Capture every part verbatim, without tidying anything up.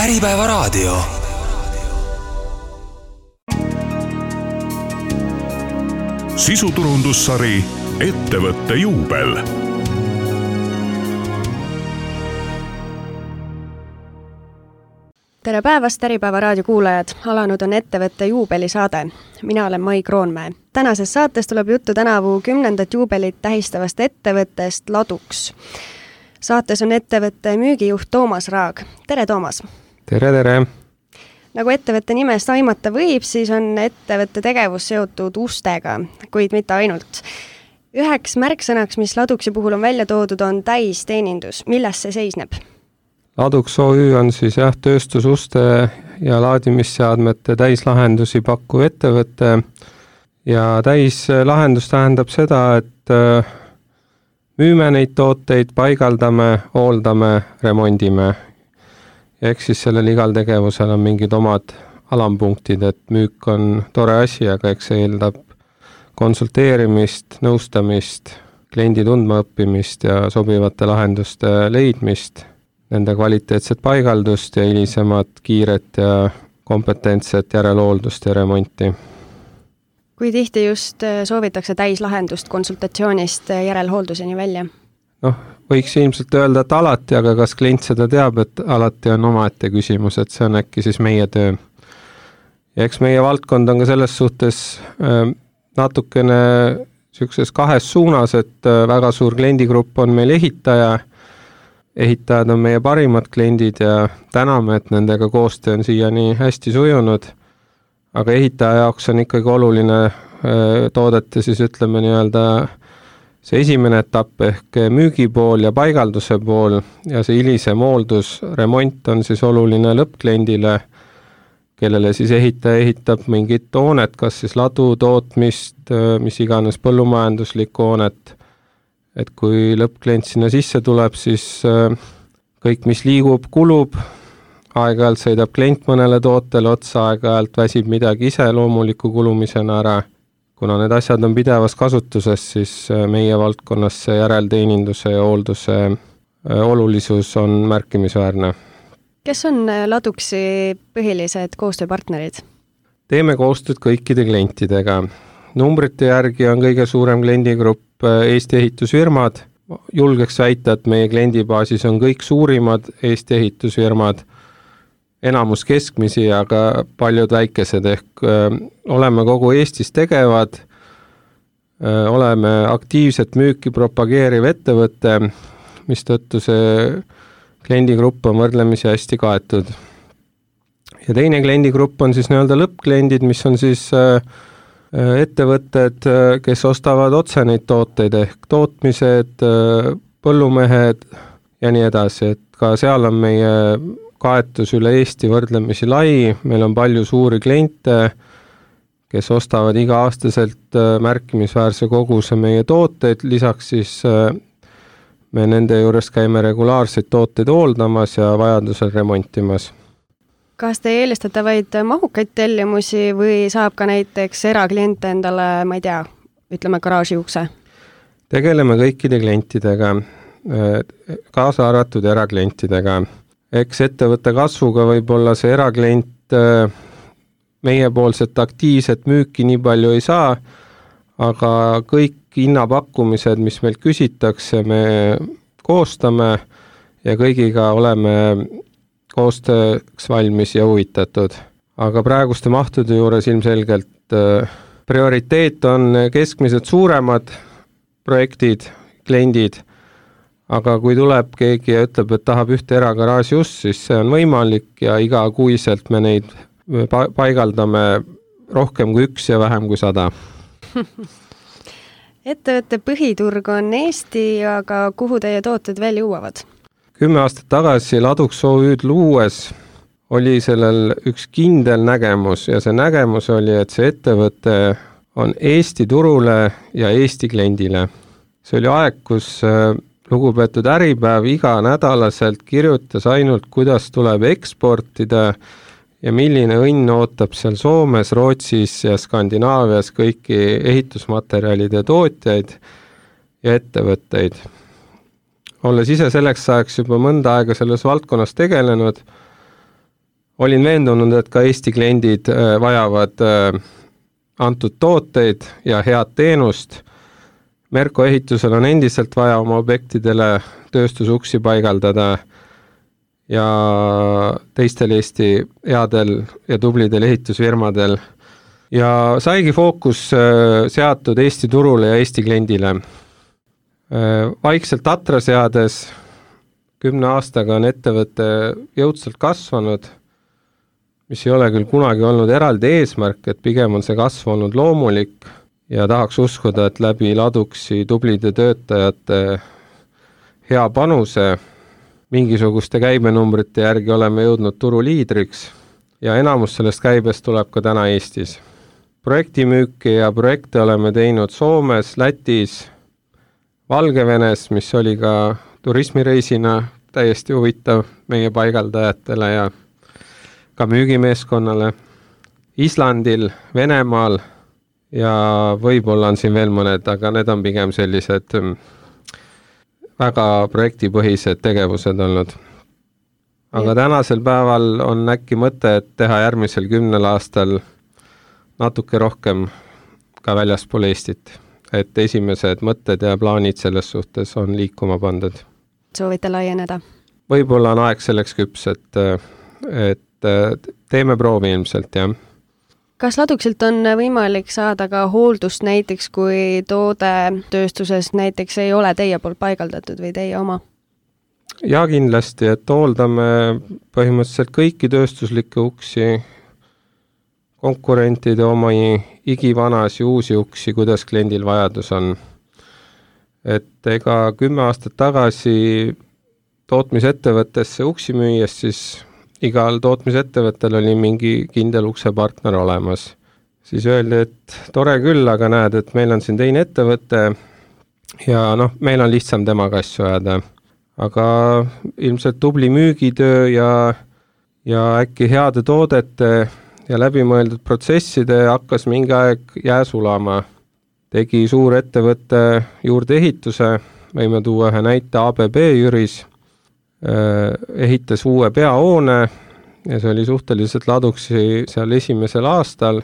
Äripäevaraadio. Sisuturundussari Ettevõtte juubel. Tere päevast, Äripäevaraadio kuulajad! Alanud on Ettevõtte juubelisaade. Mina olen Mai Kroonmäe. Tänases saates tuleb juttu tänavu kümnendat juubelit tähistavast ettevõttest Ladux. Saates on ettevõtte müügijuht Toomas Raag. Tere, Toomas! Tere, tere! Nagu ettevõtte nimest aimata võib, siis on ettevõtte tegevus seotud ustega, kuid mitte ainult. Üheks märksõnaks, mis Laduxi puhul on välja toodud, on täisteenindus. Milles see seisneb? Ladux O Ü on siis jah, tööstususte ja laadimisseadmete täislahendusi pakkuv ettevõte ja täislahendus tähendab seda, et müüme neid tooteid, paigaldame, hooldame, remondime. Ehk siis sellel igal tegevusel on mingid omad alampunktid, et müük on tore asi, aga eks see eeldab konsulteerimist, nõustamist, kliendi tundma õppimist ja sobivate lahenduste leidmist, nende kvaliteetset paigaldust ja hilisemat kiiret ja kompetentset järelhooldust ja remonti. Kui tihti just soovitakse täislahendust konsultatsioonist järelhoolduseni välja? Noh, võiks ilmselt öelda, et alati, aga kas klient seda teab, et alati on omaette küsimus, et see on äkki siis meie töö. Ja eks meie valdkond on ka selles suhtes natukene sellises kahes suunas, et väga suur kliendigrupp on meil ehitaja. Ehitajad on meie parimad kliendid ja täname, et nendega koostöö on siiani hästi sujunud. Aga ehitaja jaoks on ikkagi oluline toodete siis ütleme nii-öelda see esimene etapp ehk müügipool ja paigalduse pool ja see hilisem hooldus, remont on siis oluline lõppkliendile, kellele siis ehitaja ehitab mingit hoonet, kas siis ladu, tootmist, mis iganes põllumajanduslikku hoonet. Et kui lõppklient sinna sisse tuleb, siis kõik, mis liigub, kulub, aeg-ajalt sõidab klient mõnele tootele otsa, aeg-ajalt väsib midagi ise loomuliku kulumisena ära. Kuna need asjad on pidevas kasutuses, siis meie valdkonnas see järelteeninduse ja hoolduse olulisus on märkimisväärne. Kes on Laduxi põhilised koostööpartnerid? Teeme koostööd kõikide klientidega. Numbrite järgi on kõige suurem kliendigrupp Eesti ehitusfirmad. Julgeks väita, et meie kliendibaasis on kõik suurimad Eesti ehitusfirmad, enamus keskmisi, aga paljud väikesed ehk öö, oleme kogu Eestis tegevad, öö, oleme aktiivset müüki propageeriv ettevõte, mis tõttu see kliendigrupp on võrdlemisi hästi kaetud. Ja teine kliendigrupp on siis nii-öelda lõppkliendid, mis on siis öö, ettevõtted, kes ostavad otse neid tooteid ehk tootmised, põllumehed ja nii edasi, et ka seal on meie kaetus üle Eesti võrdlemisi lai, meil on palju suuri kliente, kes ostavad iga-aastaselt märkimisväärse koguse meie tooteid, lisaks siis me nende juures käime regulaarseid tooteid hooldamas ja vajadusel remontimas. Kas te eelistate vaid mahukaid tellimusi või saab ka näiteks eraklient endale, ma ei tea, ütleme garaaži ukse? Tegeleme kõikide klientidega, kaasa arvatud eraklientidega. Eks ettevõtte kasvuga võib-olla see eraklient meiepoolset aktiivset müüki nii palju ei saa, aga kõik hinnapakkumised, mis meil küsitakse, me koostame ja kõigiga oleme koostööks valmis ja huvitatud. Aga praeguste mahtude juures ilmselgelt prioriteet on keskmised suuremad projektid, kliendid, aga kui tuleb keegi ja ütleb, et tahab ühte eragaraaži ust, siis see on võimalik ja iga kuiselt me neid paigaldame rohkem kui üks ja vähem kui sada. Ettevõtte põhiturg on Eesti, aga kuhu teie tooted veel jõuavad? Kümme aastat tagasi Ladux O Ü'd luues oli sellel üks kindel nägemus ja see nägemus oli, et see ettevõte on Eesti turule ja Eesti kliendile. See oli aeg, kus lugupeetud Äripäev iga nädalaselt kirjutas ainult, kuidas tuleb eksportida ja milline õnn ootab seal Soomes, Rootsis ja Skandinaavias kõiki ehitusmaterjalide tootjaid ja ettevõtteid. Olles ise selleks ajaks juba mõnda aega selles valdkonnas tegelenud, olin veendunud, et ka Eesti kliendid vajavad antud tooteid ja head teenust. Merko ehitusel on endiselt vaja oma objektidele tööstusuksi paigaldada ja teistel Eesti headel ja tublidel ehitusfirmadel. Ja saigi fookus seatud Eesti turule ja Eesti kliendile. Vaikselt atra seades kümne aastaga on ettevõte jõudsalt kasvanud, mis ei ole küll kunagi olnud eraldi eesmärk, et pigem on see kasv olnud loomulik ja tahaks uskuda, et läbi Laduksi tublide töötajate hea panuse mingisuguste käibenumbrite järgi oleme jõudnud turu liidriks ja enamus sellest käibest tuleb ka täna Eestis. Projektimüüki ja projekte oleme teinud Soomes, Lätis, Valgevenes, mis oli ka turismireisina täiesti huvitav meie paigaldajatele ja ka müügimeeskonnale, Islandil, Venemaal ja võib-olla on siin veel mõned, aga need on pigem sellised väga projektipõhised tegevused olnud. Aga tänasel päeval on äkki mõte, et teha järgmisel kümnel aastal natuke rohkem ka väljaspool Eestit, et esimesed mõtted ja plaanid selles suhtes on liikuma pandud. Soovite laieneda? Võib-olla on aeg selleks küps, et, et teeme proovi ilmselt, jah. Kas Laduksilt on võimalik saada ka hooldust näiteks, kui toode tööstuses näiteks ei ole teie poolt paigaldatud või teie oma? Ja kindlasti, et hooldame põhimõtteliselt kõiki tööstuslikke uksi, konkurentide omi igivanas ja uusi uksi, kuidas kliendil vajadus on. Et ega kümme aastat tagasi tootmisettevõttesse uksi müües, siis igal tootmisettevõttel oli mingi kindel uksepartner olemas. Siis öeldi, et tore küll, aga näed, et meil on siin teine ettevõte ja noh, meil on lihtsam temaga asju ajada. Aga ilmselt tubli müügitöö ja, ja äkki heade toodete ja läbimõeldud protsesside hakkas mingi aeg jää sulama. Tegi suur ettevõtte juurde ehituse, võime tuua ühe näite A B B Jüris, ehitas uue peahoone ja see oli suhteliselt Laduksi seal esimesel aastal.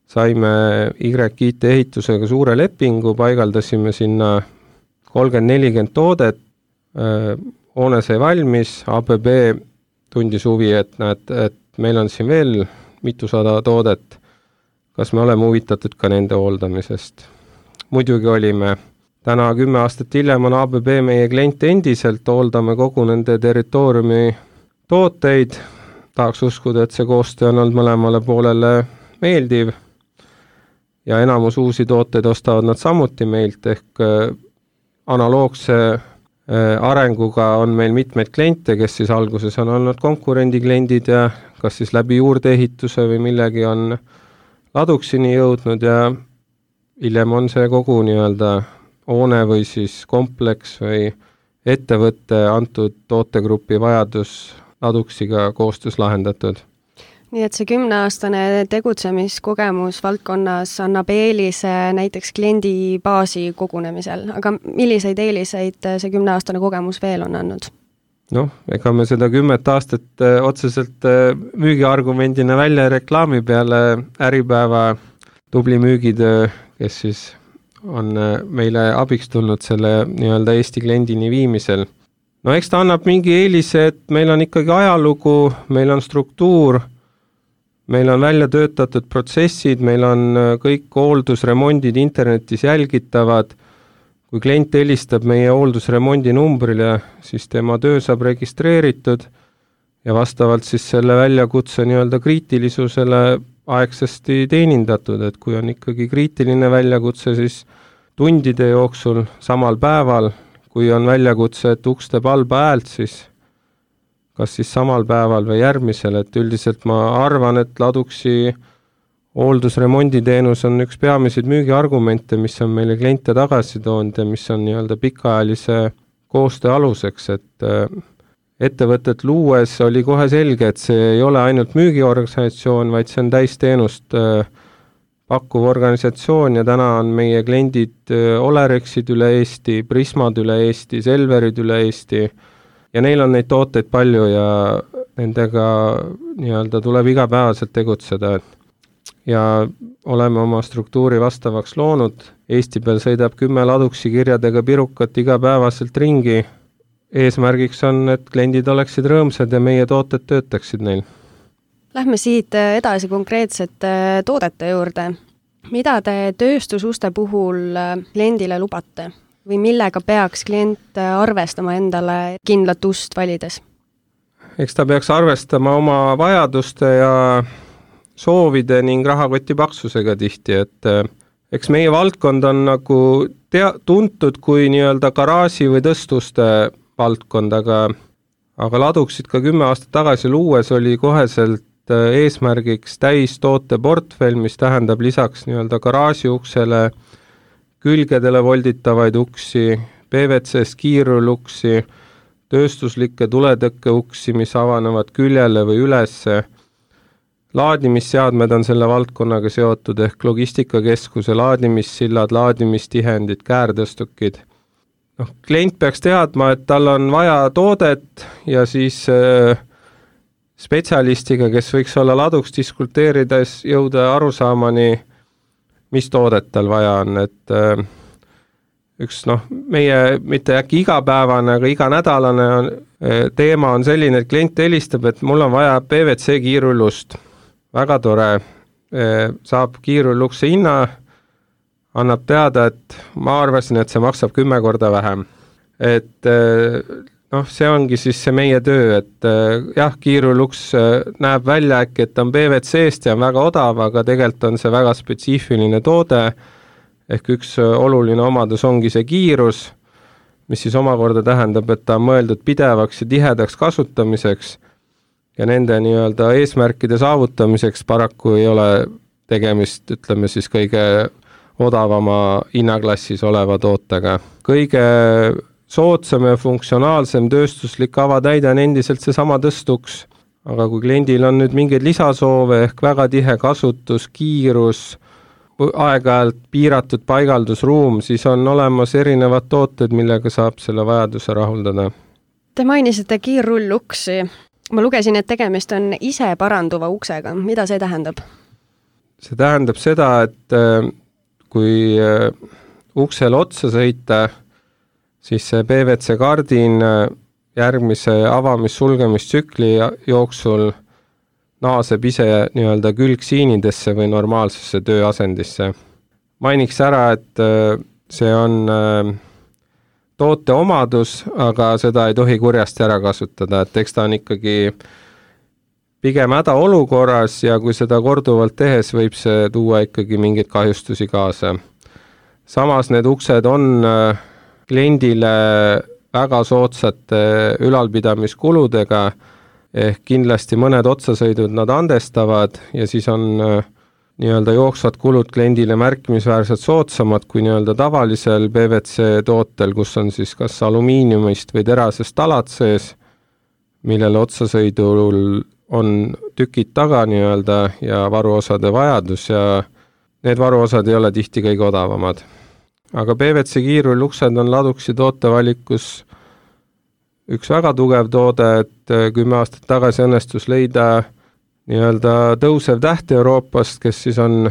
Saime Y I T ehitusega suure lepingu, paigaldasime sinna kolmkümmend nelikümmend toodet, hoone sai valmis, A B B tundis huvi, et, näed, et meil on siin veel mitusada toodet, kas me oleme huvitatud ka nende hooldamisest. Muidugi olime. Täna kümme aastat hiljem on A B B meie klient endiselt, hooldame kogu nende territooriumi tooteid. Tahaks uskuda, et see koostöö on olnud mõlemale poolele meeldiv ja enamus uusi tooteid ostavad nad samuti meilt, ehk analoogse arenguga on meil mitmeid kliente, kes siis alguses on olnud konkurendikliendid ja kas siis läbi juurdeehituse või millegi on Laduksini jõudnud ja hiljem on see kogu nii-öelda hoone või siis kompleks või ettevõtte antud tootegrupi vajadus Laduksiga koostöös lahendatud. Nii et see kümneaastane tegutsemiskogemus valdkonnas annab eelise näiteks kliendi baasi kogunemisel, aga milliseid eeliseid see kümneaastane kogemus veel on andnud? Noh, ega me seda kümmet aastat otseselt müügiargumendina välja reklaami peale Äripäeva tubli müügitöö, kes siis on meile abiks tulnud selle nii-öelda Eesti kliendini viimisel. No eks ta annab mingi eelise, et meil on ikkagi ajalugu, meil on struktuur, meil on välja töötatud protsessid, meil on kõik hooldusremondid internetis jälgitavad. Kui klient helistab meie hooldusremondi numbrile, siis tema töö saab registreeritud ja vastavalt siis selle väljakutse nii-öelda kriitilisusele aegsasti teenindatud, et kui on ikkagi kriitiline väljakutse, siis tundide jooksul samal päeval, kui on väljakutse, et uks teeb halba häält, siis kas siis samal päeval või järgmisel, et üldiselt ma arvan, et Laduksi hooldusremonditeenus on üks peamiseid müügiargumente, mis on meile kliente tagasi toonud ja mis on nii-öelda pikaajalise koostöö aluseks, et ettevõtet luues oli kohe selge, et see ei ole ainult müügiorganisatsioon, vaid see on täisteenust pakkuv organisatsioon ja täna on meie kliendid Olerexid üle Eesti, Prismad üle Eesti, Selverid üle Eesti ja neil on neid tooteid palju ja nendega nii-öelda tuleb igapäevaselt tegutseda ja oleme oma struktuuri vastavaks loonud. Eesti peal sõidab kümme laduksi kirjadega pirukat igapäevaselt ringi. Eesmärgiks on, et kliendid oleksid rõõmsad ja meie tooted töötaksid neil. Lähme siit edasi konkreetsete toodete juurde. Mida te tööstususte puhul kliendile lubate või millega peaks klient arvestama endale kindlat ust valides? Eks ta peaks arvestama oma vajaduste ja soovide ning rahakoti paksusega tihti, et eks meie valdkond on nagu tea- tuntud kui nii-öelda garaaži või tõstuste valdkond, aga, aga laduksid ka kümme aastat tagasi luues oli koheselt eesmärgiks täis toote portfell, mis tähendab lisaks nii-öelda garaaži uksele, külgedele volditavaid uksi, P V C-st kiiruluksi, tööstuslikke tuletõkke uksi, mis avanevad küljele või ülesse. Laadimisseadmed on selle valdkonnaga seotud ehk logistikakeskuse laadimissillad, laadimistihendid, käärtõstukid. No, klient peaks teadma, et tal on vaja toodet ja siis äh, spetsialistiga, kes võiks olla laduks diskuteerides, jõuda arusaamani, mis toodet tal vaja on, et äh, üks noh, meie mitte äkki igapäevane, aga iganädalane on, äh, teema on selline, et klient helistab, et mul on vaja P V C kiirullust, väga tore, äh, saab kiirullukse hinna, annab teada, et ma arvasin, et see maksab kümme korda vähem, et äh, noh, see ongi siis see meie töö, et äh, jah, kiiruluks äh, näeb välja äkki, et on P V C-st ja on väga odav, aga tegelikult on see väga spetsiifiline toode, ehk üks äh, oluline omadus ongi see kiirus, mis siis omakorda tähendab, et ta on mõeldud pidevaks ja tihedaks kasutamiseks ja nende nii-öelda eesmärkide saavutamiseks paraku ei ole tegemist, ütleme siis kõige odavama hinnaklassis oleva tootega. Kõige soodsam ja funktsionaalsem tööstuslik avatäide on endiselt see sama tõstuks, aga kui kliendil on nüüd mingeid lisasoove ehk väga tihe kasutus, kiirus, aeg-ajalt piiratud paigaldusruum, siis on olemas erinevad tooted, millega saab selle vajaduse rahuldada. Te mainisite kiirrulluksi. Ma lugesin, et tegemist on ise paranduva uksega. Mida see tähendab? See tähendab seda, et kui uksel otsa sõita, siis see P V C kardin järgmise avamis-sulgemistsükli jooksul naaseb ise nii-öelda külgsiinidesse või normaalsesse tööasendisse. Mainiks ära, et see on toote omadus, aga seda ei tohi kurjasti ära kasutada, et eks ta on ikkagi pigem hädaolukorras ja kui seda korduvalt tehes võib see tuua ikkagi mingeid kahjustusi kaasa. Samas need uksed on kliendile väga soodsate ülalpidamiskuludega, ehk kindlasti mõned otsasõidud nad andestavad ja siis on nii-öelda jooksvad kulud kliendile märkimisväärselt soodsamad kui nii-öelda tavalisel P V C tootel, kus on siis kas alumiiniumist või terasest talad sees, millele otsasõidul on tükid taga nii-öelda ja varuosade vajadus ja need varuosad ei ole tihti kõige odavamad. Aga P V C kiirulluksed on laduksi tootevalikus üks väga tugev toode, et kümme aastat tagasi õnnestus leida nii-öelda tõusev täht Euroopast, kes siis on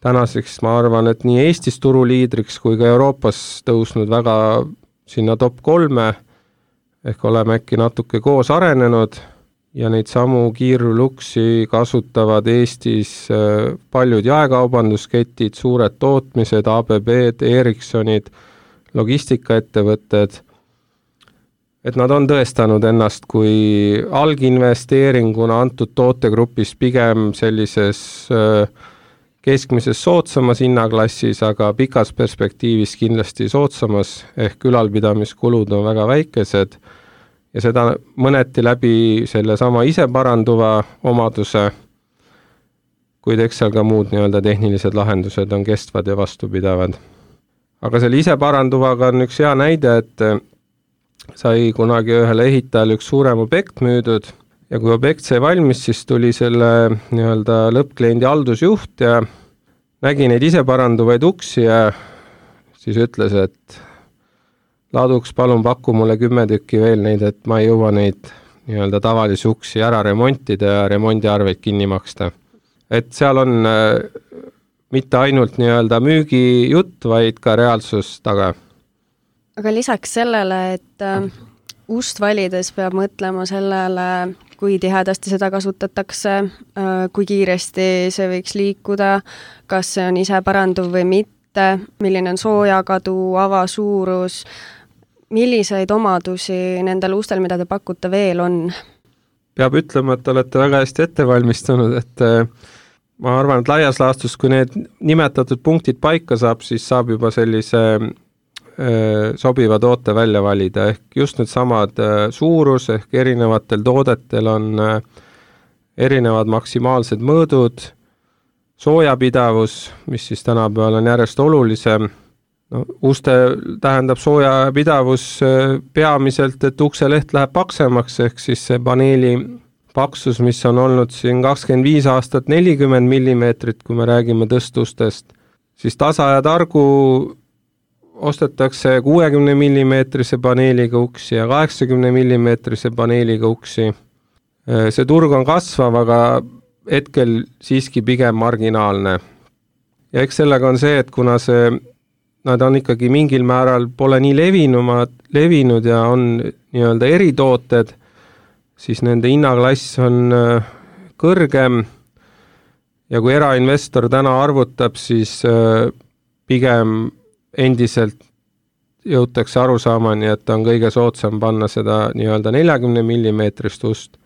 tänaseks, ma arvan, et nii Eestis turuliidriks kui ka Euroopas tõusnud väga sinna top kolme, ehk oleme äkki natuke koos arenenud ja neid samu kiiruluksi kasutavad Eestis paljud jaekaubandusketid, suured tootmised, A B B-d, Ericssonid, logistikaettevõtted, et nad on tõestanud ennast kui alginvesteeringuna antud tootegrupis pigem sellises keskmises soodsamas hinnaklassis, aga pikas perspektiivis kindlasti soodsamas, ehk ülalpidamiskulud on väga väikesed ja seda mõneti läbi selle sama ise paranduva omaduse, kuid eks seal ka muud nii-öelda tehnilised lahendused on kestvad ja vastupidavad. Aga selle ise paranduvaga on üks hea näide, et sai kunagi ühele ehitajale üks suurem objekt müüdud ja kui objekt sai valmis, siis tuli selle nii-öelda lõppkliendi haldusjuht ja nägi neid ise paranduvaid uksi ja siis ütles, et laduks palun paku mulle kümme tükki veel neid, et ma ei jõua neid nii-öelda tavalisi uksi ära remontida ja remondiarveid kinni maksta. Et seal on mitte ainult nii-öelda müügijutt, vaid ka reaalsus taga. Aga lisaks sellele, et äh, ust valides peab mõtlema sellele, kui tihedasti seda kasutatakse, äh, kui kiiresti see võiks liikuda, kas see on ise paranduv või mitte, milline on soojakadu, avasuurus, milliseid omadusi nendel ustel, mida te pakute, veel on? Peab ütlema, et olete väga hästi ette valmistunud, et äh, ma arvan, et laias laastus, kui need nimetatud punktid paika saab, siis saab juba sellise äh, sobiva toote välja valida, ehk just need samad äh, suurus, ehk erinevatel toodetel on äh, erinevad maksimaalsed mõõdud, soojapidavus, mis siis tänapäeval on järjest olulisem. No, uste tähendab soojapidavus äh, peamiselt, et ukseleht läheb paksemaks, ehk siis see paneeli paksus, mis on olnud siin kakskümmend viis aastat nelikümmend millimeetrit, kui me räägime tõstustest, siis tasa ja targu ostetakse kuuekümne millimeetrise paneeliga uksi ja kaheksakümne millimeetrise paneeliga uksi. See turg on kasvav, aga hetkel siiski pigem marginaalne. Ja eks sellega on see, et kuna see, nad on ikkagi mingil määral pole nii levinumad, levinud ja on nii-öelda eritooted, siis nende hinnaklass on kõrgem ja kui erainvestor täna arvutab, siis pigem endiselt jõutakse arusaamani, et on kõige soodsam panna seda nii-öelda neljakümne millimeetrist ust.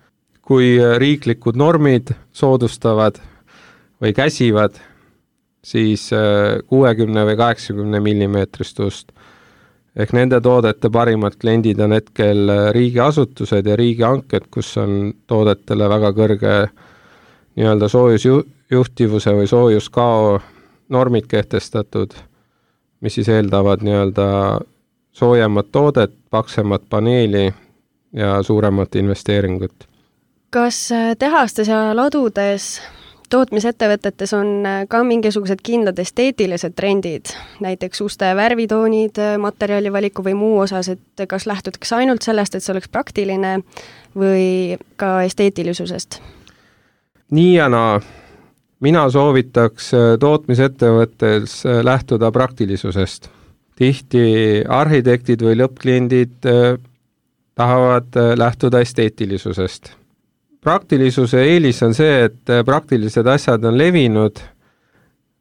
Kui riiklikud normid soodustavad või käsivad, siis kuuekümne või kaheksakümne millimeetrist ust. Ehk nende toodete parimad kliendid on hetkel riigiasutused ja riigihanked, kus on toodetele väga kõrge nii-öelda soojusjuhtivuse või soojuskao normid kehtestatud, mis siis eeldavad nii-öelda soojemat toodet, paksemat paneeli ja suuremat investeeringut. Kas tehastes ja ladudes tootmisettevõtetes on ka mingisugused kindlad esteetilised trendid, näiteks uste värvitoonid, materjalivaliku või muu osas, et kas lähtutakse ainult sellest, et see oleks praktiline või ka esteetilisusest? Nii ja naa. Mina soovitaks tootmisettevõttes lähtuda praktilisusest. Tihti arhitektid või lõppkliendid tahavad lähtuda esteetilisusest. Praktilisuse eelis on see, et praktilised asjad on levinud,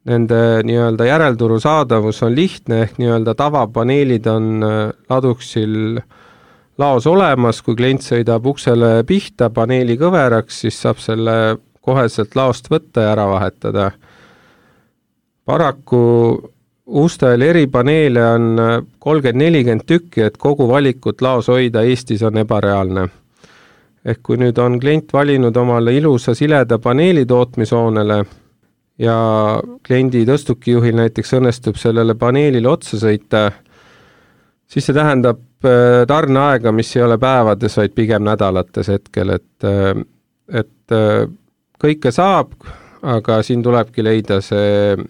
nende nii-öelda järelturu saadavus on lihtne, ehk nii-öelda tavapaneelid on laduksil laos olemas, kui klient sõidab uksele pihta paneeli kõveraks, siis saab selle koheselt laost võtta ja ära vahetada. Paraku ustel eripaneele on kolmkümmend nelikümmend tükki, et kogu valikut laos hoida Eestis on ebareaalne. Ehk kui nüüd on klient valinud omale ilusa sileda paneeli tootmishoonele ja kliendi tõstukijuhil näiteks õnnestub sellele paneelile otsa sõita, siis see tähendab tarneaega, mis ei ole päevades, vaid pigem nädalates hetkel, et, et kõike saab, aga siin tulebki leida see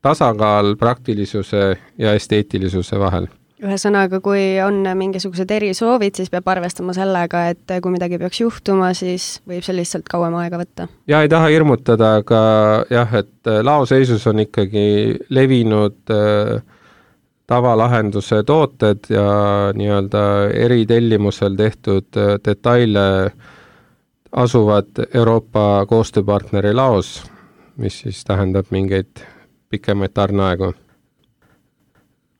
tasakaal praktilisuse ja esteetilisuse vahel. Ühesõnaga, kui on mingisugused erisoovid, siis peab arvestama sellega, et kui midagi peaks juhtuma, siis võib see lihtsalt kauem aega võtta. Ja ei taha hirmutada, aga jah, et laoseisus on ikkagi levinud äh, tavalahenduse tooted ja nii-öelda eritellimusel tehtud äh, detaile asuvad Euroopa koostööpartneri laos, mis siis tähendab mingeid pikemaid tarneaegu.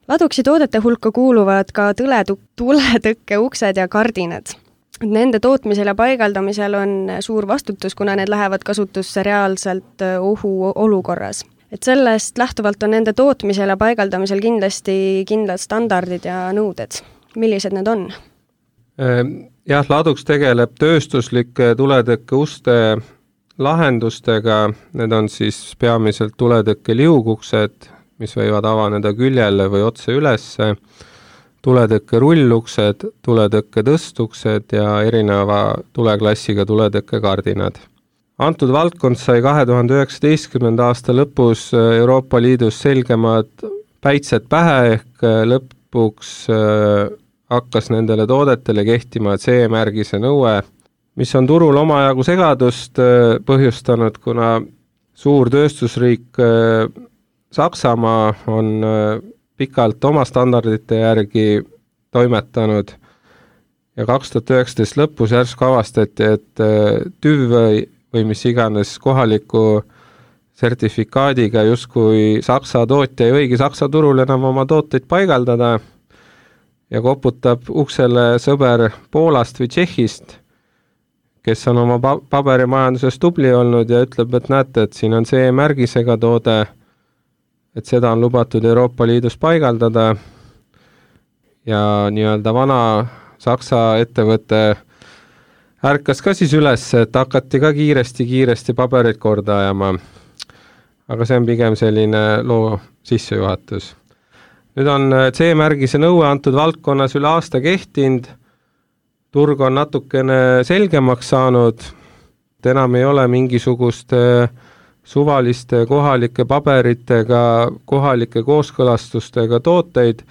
Laduksi toodete hulka kuuluvad ka tuletõkke uksed ja kardinad. Nende tootmisel ja paigaldamisel on suur vastutus, kuna need lähevad kasutusse reaalselt ohu olukorras. Et sellest lähtuvalt on nende tootmisel ja paigaldamisel kindlasti kindlad standardid ja nõuded. Millised need on? Jah, Laduks tegeleb tööstuslike tuletõkke uste lahendustega. Need on siis peamiselt tuletõkke liuguksed, mis võivad avaneda küljele või otse ülesse, tuletõkke rulluksed, tuletõkke tõstuksed ja erineva tuleklassiga tuletõkke kardinad. Antud valdkond sai kahe tuhande üheksateistkümnenda aasta lõpus Euroopa Liidus selgemad päitsed pähe, ehk lõpuks hakkas nendele toodetele kehtima C E-märgise nõue mis on turul omajagu segadust põhjustanud, kuna suur tööstusriik Saksamaa on pikalt oma standardite järgi toimetanud ja kaks tuhat üheksateist lõpus järsku avastati, et TÜV või, või mis iganes kohaliku sertifikaadiga justkui Saksa tootja ei võigi Saksa turul enam oma tooteid paigaldada ja koputab uksele sõber Poolast või Tšehhist, kes on oma paberimajanduses tubli olnud ja ütleb, et näete, et siin on see märgisega toode, et seda on lubatud Euroopa Liidus paigaldada ja nii-öelda vana Saksa ettevõte ärkas ka siis üles, et hakati ka kiiresti-kiiresti paberit korda ajama. Aga see on pigem selline loo sissejuhatus. Nüüd on C-märgise nõue antud valdkonnas üle aasta kehtinud, turg on natukene selgemaks saanud, et enam ei ole mingisuguste suvaliste kohalike paberitega, kohalike kooskõlastustega tooteid,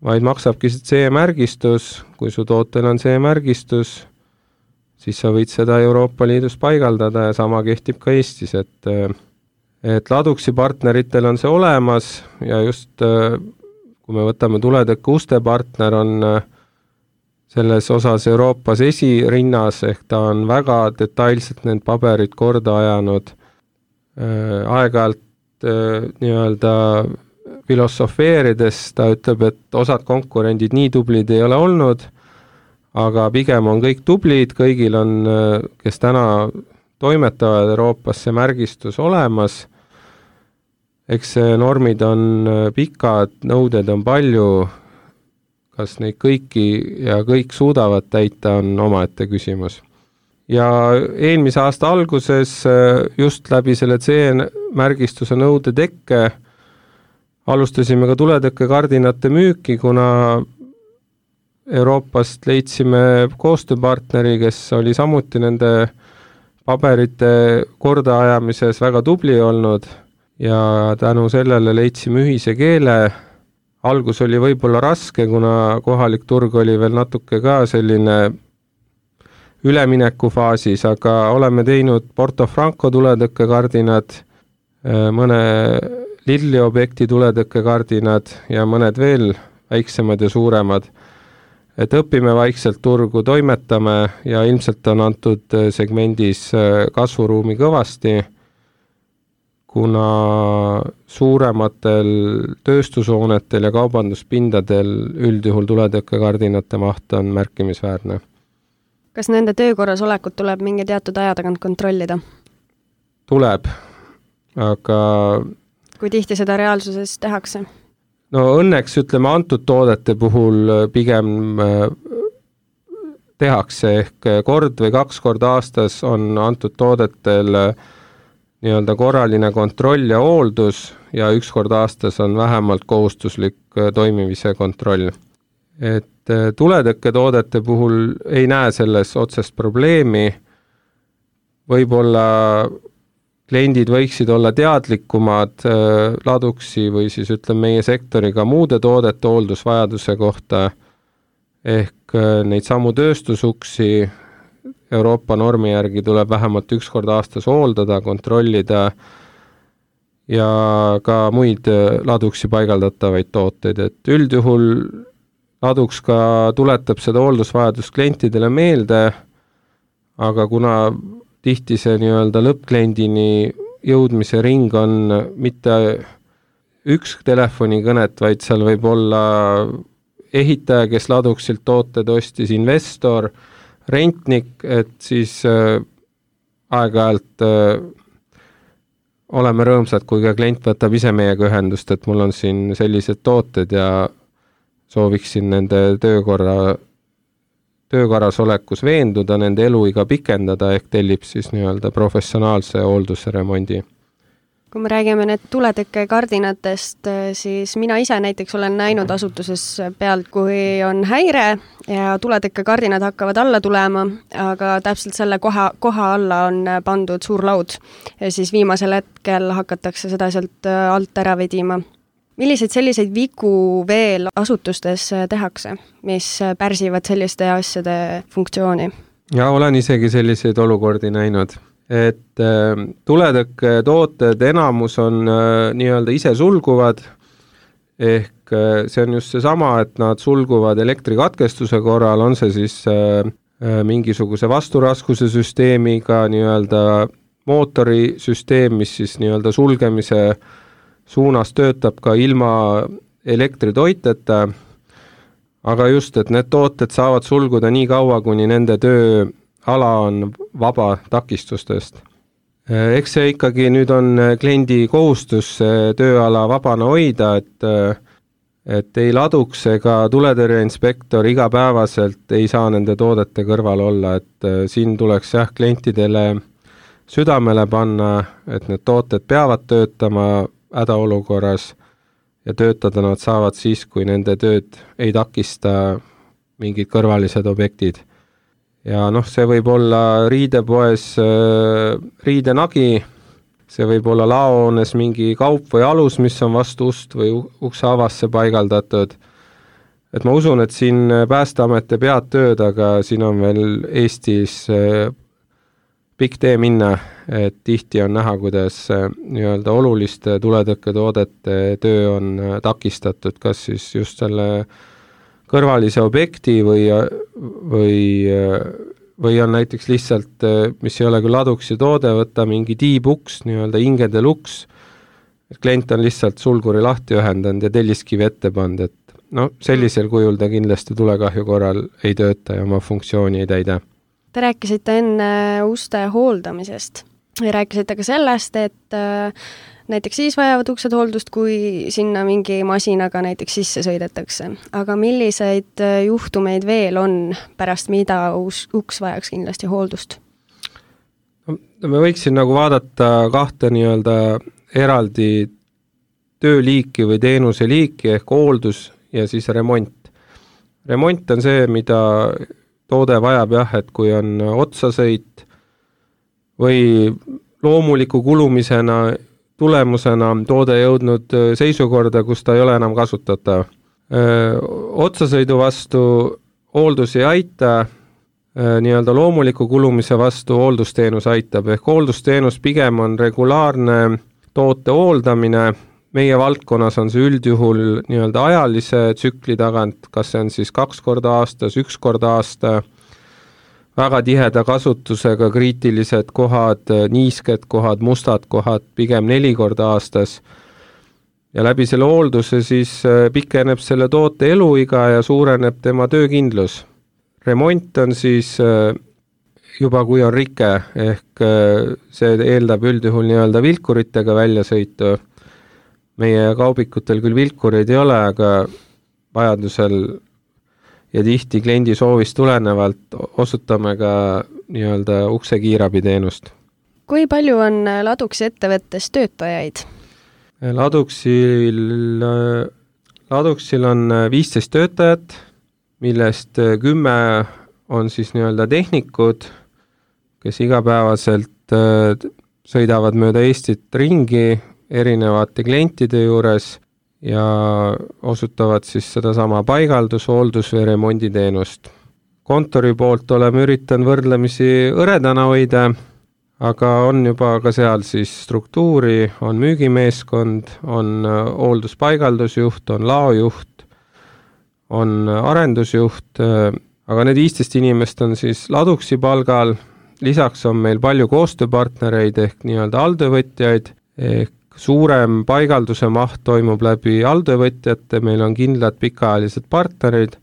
vaid maksabki C-märgistus, kui su tootel on C-märgistus, siis sa võid seda Euroopa Liidus paigaldada ja sama kehtib ka Eestis, et, et Laduxi partneritel on see olemas ja just kui me võtame tuletõkke uste partner on selles osas Euroopas esirinnas, ehk ta on väga detailselt need paberid korda ajanud. Aeg-ajalt nii-öelda filosofeerides ta ütleb, et osad konkurendid nii tublid ei ole olnud, aga pigem on kõik tublid, kõigil on, kes täna toimetavad Euroopas see märgistus olemas. Eks normid on pikad, nõuded on palju, kas neid kõiki ja kõik suudavad täita, on omaette küsimus. Ja eelmise aasta alguses just läbi selle C-märgistuse nõude tekke alustasime ka tuletõkkekardinate müüki, kuna Euroopast leidsime koostööpartneri, kes oli samuti nende paberite kordaajamises väga tubli olnud ja tänu sellele leidsime ühise keele. Algus oli võib-olla raske, kuna kohalik turg oli veel natuke ka selline üleminekufaasis, aga oleme teinud Porto Franco tuletõkkekardinad, mõne Lidli objekti tuletõkkekardinad ja mõned veel väiksemad ja suuremad. Et õpime vaikselt turgu, toimetame ja ilmselt on antud segmendis kasvuruumi kõvasti, kuna suurematel tööstushoonetel ja kaubanduspindadel üldjuhul tuletõkkekardinate maht on märkimisväärne. Kas nende töökorras olekut tuleb mingi teatud aja tagant kontrollida? Tuleb, aga... Kui tihti seda reaalsuses tehakse? No õnneks ütleme antud toodete puhul pigem tehakse ehk kord või kaks korda aastas on antud toodetel nii-öelda korraline kontroll ja hooldus ja üks kord aastas on vähemalt kohustuslik toimimise kontroll. Et tuletõkketoodete puhul ei näe selles otsest probleemi, võib-olla kliendid võiksid olla teadlikumad Laduxi või siis ütleme meie sektoriga muude toodete hooldusvajaduse kohta, ehk neid samu tööstusuksi Euroopa normi järgi tuleb vähemalt üks kord aastas hooldada, kontrollida ja ka muid Laduxi paigaldatavaid tooteid, et üldjuhul Ladux ka tuletab seda hooldusvajadust klientidele meelde, aga kuna tihti see nii-öelda lõppkliendini jõudmise ring on mitte üks telefonikõnet, vaid seal võib olla ehitaja, kes Laduxilt tooted ostis, investor, rentnik, et siis äh, aeg-ajalt äh, oleme rõõmsad, kui ka klient võtab ise meiega ühendust, et mul on siin sellised tooted ja sooviksin nende töökorra, töökorras olekus veenduda, nende eluiga pikendada, ehk tellib siis nii-öelda professionaalse hooldusremondi. Kui me räägime need tuletõkkekardinatest, siis mina ise näiteks olen näinud asutuses pealt, kui on häire ja tuletõkkekardinad hakkavad alla tulema, aga täpselt selle koha, koha alla on pandud suur laud ja siis viimasel hetkel hakatakse seda sealt alt ära vedima. Milliseid selliseid vigu veel asutustes tehakse, mis pärsivad selliste asjade funktsiooni? ja olen isegi selliseid olukordi näinud, et äh, tuletõkke tooted enamus on äh, nii-öelda ise sulguvad, ehk äh, see on just seesama, et nad sulguvad elektrikatkestuse korral, on see siis äh, äh, mingisuguse vasturaskuse süsteemiga, nii-öelda mootorisüsteem, mis siis nii-öelda sulgemise suunas töötab ka ilma elektritoiteta, aga just, et need tooted saavad sulguda nii kaua, kuni nende tööala on vaba takistustest. Eks see ikkagi nüüd on kliendi kohustus tööala vabana hoida, et, et ei laduks ega tuletõrjeinspektor igapäevaselt ei saa nende toodete kõrval olla, et siin tuleks jah klientidele südamele panna, et need tooted peavad töötama hädaolukorras ja töötada nad saavad siis, kui nende tööd ei takista mingid kõrvalised objektid. Ja noh, see võib olla riidepoes äh, riidenagi, see võib olla laohoones mingi kaup või alus, mis on vastu ust või ukse avasse paigaldatud. Et ma usun, et siin Päästeameti pead tööd, aga siin on veel Eestis äh, pikk tee minna, et tihti on näha, kuidas nii-öelda oluliste tuletõkketoodete töö on takistatud, kas siis just selle kõrvalise objekti või, või, või on näiteks lihtsalt, mis ei ole küll laduksi toode, võtta mingi tiibuks, nii-öelda ingede luks, et klient on lihtsalt sulguri lahti ühendanud ja telliskivi ette pannud, et no sellisel kujul ta kindlasti tulekahju korral ei tööta ja oma funktsiooni ei täida. Te rääkisite enne uste hooldamisest ja rääkisite ka sellest, et äh, näiteks siis vajavad uksed hooldust, kui sinna mingi masinaga näiteks sisse sõidetakse. Aga milliseid juhtumeid veel on pärast, mida uus, uks vajaks kindlasti hooldust? No, me võiksin nagu vaadata kahte nii-öelda eraldi tööliiki või teenuse liiki ehk hooldus ja siis remont. Remont on see, mida toode vajab jah, et kui on otsasõit või loomuliku kulumisena tulemusena toode jõudnud seisukorda, kus ta ei ole enam kasutatav. Otsasõidu vastu hooldus ei aita, nii-öelda loomuliku kulumise vastu hooldusteenus aitab, ehk hooldusteenus pigem on regulaarne toote hooldamine. Meie valdkonnas on see üldjuhul nii-öelda ajalise tsükli tagant, kas see on siis kaks korda aastas, üks korda aasta, väga tiheda kasutusega kriitilised kohad, niisked kohad, mustad kohad, pigem neli korda aastas. Ja läbi selle hoolduse siis pikeneb selle toote eluiga ja suureneb tema töökindlus. Remont on siis juba kui on rike, ehk see eeldab üldjuhul nii-öelda vilkuritega väljasõitu. Meie kaubikutel küll vilkureid ei ole, aga vajadusel ja tihti kliendi soovist tulenevalt osutame ka nii-öelda ukse kiirabiteenust. Kui palju on Laduksi ettevõttes töötajaid? Laduksil, Laduksil on viisteist töötajat, millest kümme on siis nii-öelda tehnikud, kes igapäevaselt sõidavad mööda Eestit ringi erinevate klientide juures ja osutavad siis sedasama paigaldus, hooldus või remonditeenust. Kontori poolt oleme üritanud võrdlemisi õredana hoida, aga on juba ka seal siis struktuuri, on müügimeeskond, on hoolduspaigaldusjuht, on laojuht, on arendusjuht, aga need viisteist inimest on siis Laduksi palgal, lisaks on meil palju koostööpartnereid ehk nii-öelda alltöövõtjaid, ehk suurem paigalduse maht toimub läbi alltöövõtjate, meil on kindlad pikaajalised partnerid,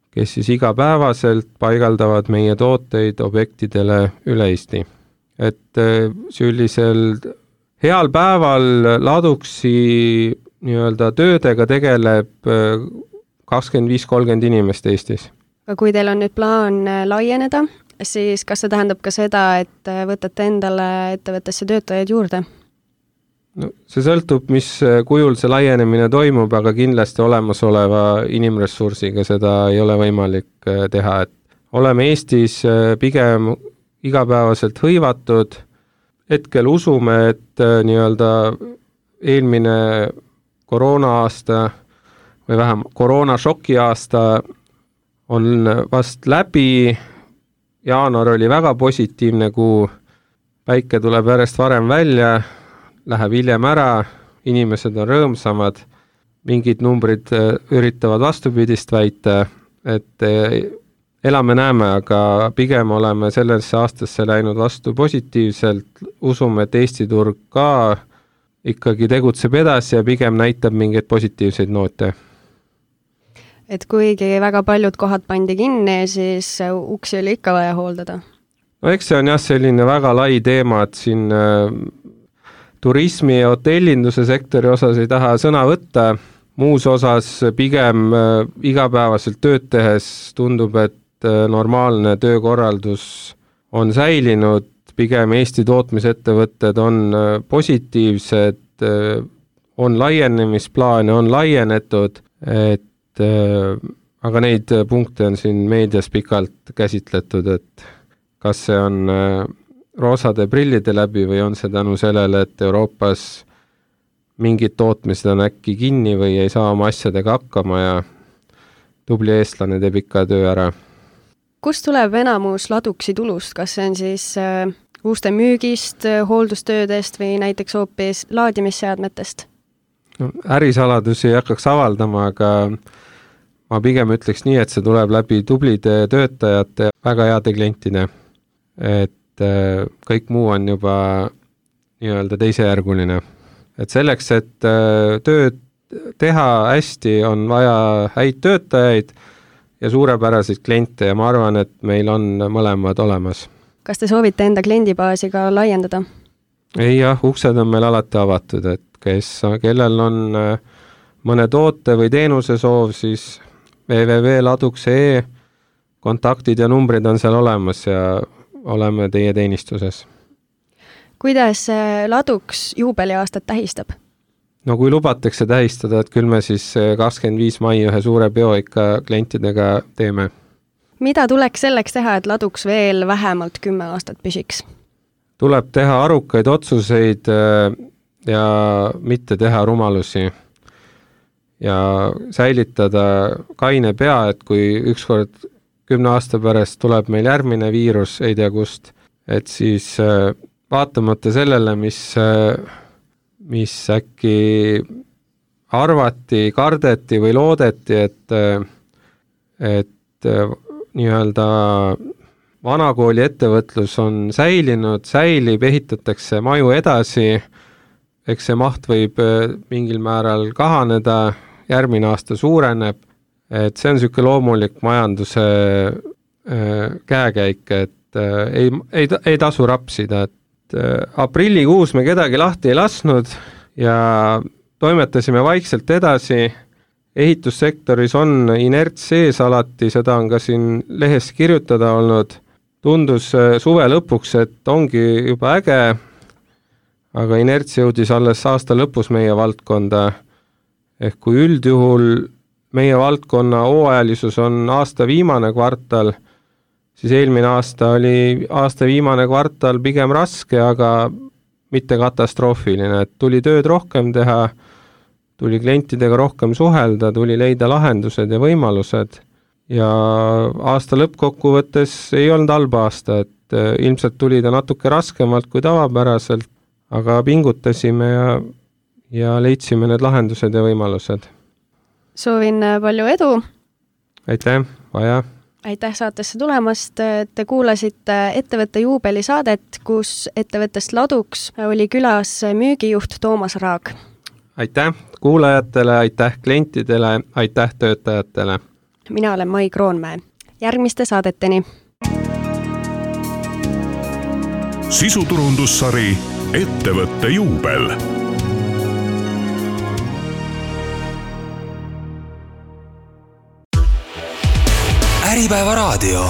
kes siis igapäevaselt paigaldavad meie tooteid objektidele üle Eesti. Et sellisel heal päeval Laduksi nii-öelda töödega tegeleb kakskümmend viis kolmkümmend inimest Eestis. Aga kui teil on nüüd plaan laieneda, siis kas see tähendab ka seda, et võtate endale ettevõttesse töötajaid juurde? No, see sõltub, mis kujul see laienemine toimub, aga kindlasti olemasoleva inimressursiga seda ei ole võimalik teha. Et oleme Eestis pigem igapäevaselt hõivatud. Hetkel usume, et nii-öelda eelmine koroona aasta või vähem koroona šoki aasta on vast läbi. jaanuar oli väga positiivne kuu, päike tuleb järjest varem välja, läheb hiljem ära, inimesed on rõõmsamad, mingid numbrid üritavad vastupidist väita, et elame-näeme, aga pigem oleme sellesse aastasse läinud vastu positiivselt, usume, et Eesti turg ka ikkagi tegutseb edasi ja pigem näitab mingeid positiivseid noote. Et kuigi väga paljud kohad pandi kinni, siis uksi oli ikka vaja hooldada? No eks see on jah selline väga lai teema, et siin äh, turismi ja hotellinduse sektori osas ei taha sõna võtta, muus osas pigem äh, igapäevaselt tööd tehes tundub, et äh, normaalne töökorraldus on säilinud, pigem Eesti tootmisettevõtted on äh, positiivsed, äh, on laienemisplaane, on laienetud, et aga neid punkte on siin meedias pikalt käsitletud, et kas see on roosade prillide läbi või on see tänu sellele, et Euroopas mingid tootmised on äkki kinni või ei saa oma asjadega hakkama ja tubli eestlane teeb ikka töö ära. Kust tuleb enamus laduksi tulust? Kas see on siis uuste müügist, hooldustöödest või näiteks hoopis laadimisseadmetest? No, ärisaladusi ei hakkaks avaldama, aga ma pigem ütleks nii, et see tuleb läbi tublide töötajate väga heade klientide, et kõik muu on juba nii-öelda teisejärguline. Et selleks, et tööd teha hästi, on vaja häid töötajaid ja suurepäraseid kliente ja ma arvan, et meil on mõlemad olemas. Kas te soovite enda kliendibaasi ka laiendada? Ei jah, uksed on meil alati avatud, et kes, kellel on mõne toote või teenuse soov, siis w w w punkt laduks punkt e kontaktid ja numbrid on seal olemas ja oleme teie teenistuses. Kuidas Laduks juubeliaastat tähistab? No kui lubatakse tähistada, et küll me siis kakskümmend viis mai ühe suure peo ikka klientidega teeme. Mida tuleks selleks teha, et Laduks veel vähemalt kümme aastat püsiks? Tuleb teha arukaid otsuseid ja mitte teha rumalusi. Ja säilitada kaine pea, et kui ükskord kümne aasta pärast tuleb meil järgmine viirus, ei tea kust, et siis vaatamata sellele, mis, mis äkki arvati, kardeti või loodeti, et, et nii-öelda vanakooli ettevõtlus on säilinud, säilib, ehitatakse maju edasi, eks see maht võib mingil määral kahaneda, järgmine aasta suureneb, et see on niisugune loomulik majanduse käekäik, et ei, ei, ei tasu rapsida, et aprillikuus me kedagi lahti ei lasnud ja toimetasime vaikselt edasi, ehitussektoris on inerts sees alati, seda on ka siin lehes kirjutada olnud, tundus suve lõpuks, et ongi juba äge, aga inerts jõudis alles aasta lõpus meie valdkonda, ehk kui üldjuhul meie valdkonna hooajalisus on aasta viimane kvartal, siis eelmine aasta oli aasta viimane kvartal pigem raske, aga mitte katastroofiline, et tuli tööd rohkem teha, tuli klientidega rohkem suhelda, tuli leida lahendused ja võimalused ja aasta lõppkokkuvõttes ei olnud halba aasta, et ilmselt tuli ta natuke raskemalt kui tavapäraselt, aga pingutasime ja ja leidsime need lahendused ja võimalused. Soovin palju edu! Aitäh, vaja! Aitäh saatesse tulemast! Te kuulasite ettevõtte juubelisaadet, kus ettevõttest Laduks oli külas müügijuht Toomas Raag. Aitäh kuulajatele, aitäh klientidele, aitäh töötajatele! Mina olen Mai Kroonmäe. Järgmiste saadeteni! Sisuturundussari Ettevõtte juubel. Äripäeva raadio.